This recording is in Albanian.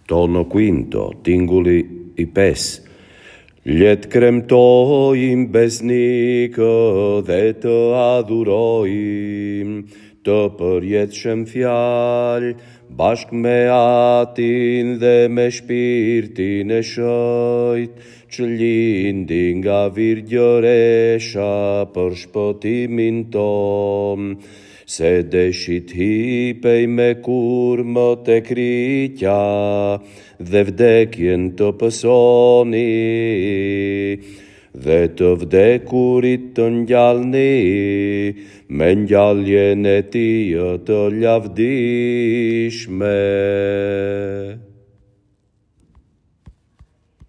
Tono quinto, tingulli i pesë. Le të kremtojmë besnikë dhe të adhurojmë të përjetshëm fjalë, bashkë me Atin dhe me Shpirtin e Shëjt, që lindi nga Virgjëresha për shpëtimin tonë, se deshi t'hipej me kurmë te kryqa dhe vdekjen të pësoni dhe të vdekurit të ngjallni me ngjalljen e tij të lavdishme.